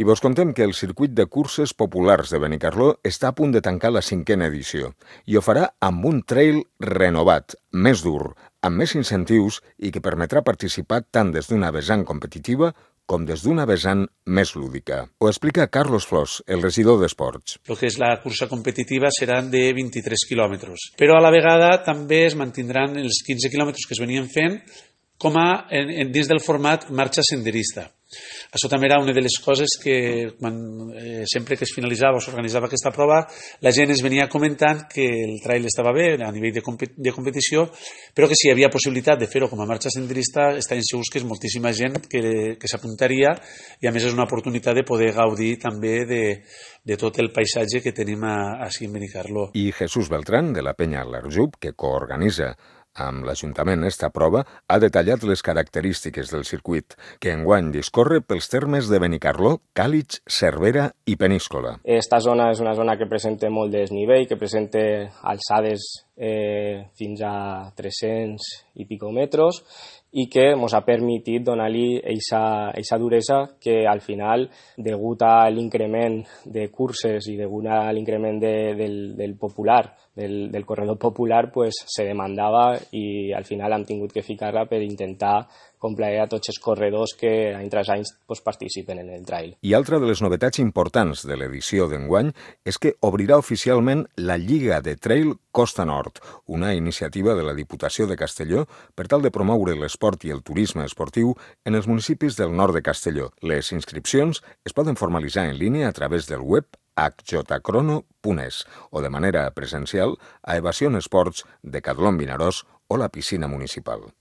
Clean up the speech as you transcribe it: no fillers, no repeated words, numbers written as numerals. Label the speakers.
Speaker 1: I vos contem que el circuit de curses populars de Benicarló està a punt de tancar la 5a edició i ho farà amb un trail renovat, més dur, amb més incentius i que permetrà participar tant des d'una vessant competitiva com des d'una vessant més lúdica. Ho explica Carlos Flors, el regidor d'Esports.
Speaker 2: El que és la cursa competitiva seran de 23 quilòmetres, però a la vegada també es mantindran els 15 quilòmetres que es venien fent com a dins del format marxa senderista. Això també era una de les coses que sempre que es finalitzava o s'organitzava aquesta prova la gent es venia comentant que el trail estava bé a nivell de competició, però que si hi havia possibilitat de fer-ho com a marxa senderista estaven segurs que és moltíssima gent que s'apuntaria i a més és una oportunitat de poder gaudir també de tot el paisatge que tenim així en Benicarló.
Speaker 1: I Jesús Beltrán, de la penya L'Arjub, que coorganitza amb l'Ajuntament esta prova, ha detallat les característiques del circuit, que enguany discorre pels termes de Benicarló, Càlig, Cervera i Peníscola.
Speaker 3: Esta zona és una zona que presenta molt desnivell, que presenta alçades fins a 300 i pico metres i que ens ha permitit donar-li aquesta duresa que al final, degut a l'increment de curses i degut a l'increment del popular, del corredor popular, pues, se demandava i al final hem tingut que ficar-la per intentar complaer a tots els corredors que any tras any participen en el trail.
Speaker 1: I altra de les novetats importants de l'edició d'enguany és que obrirà oficialment la Lliga de Trail Costa Nord, una iniciativa de la Diputació de Castelló per tal de promoure l'esport i el turisme esportiu en els municipis del nord de Castelló. Les inscripcions es poden formalitzar en línia a través del web hjcrono.es o de manera presencial a Evasion Esports de Cadlón Vinaròs o la piscina municipal.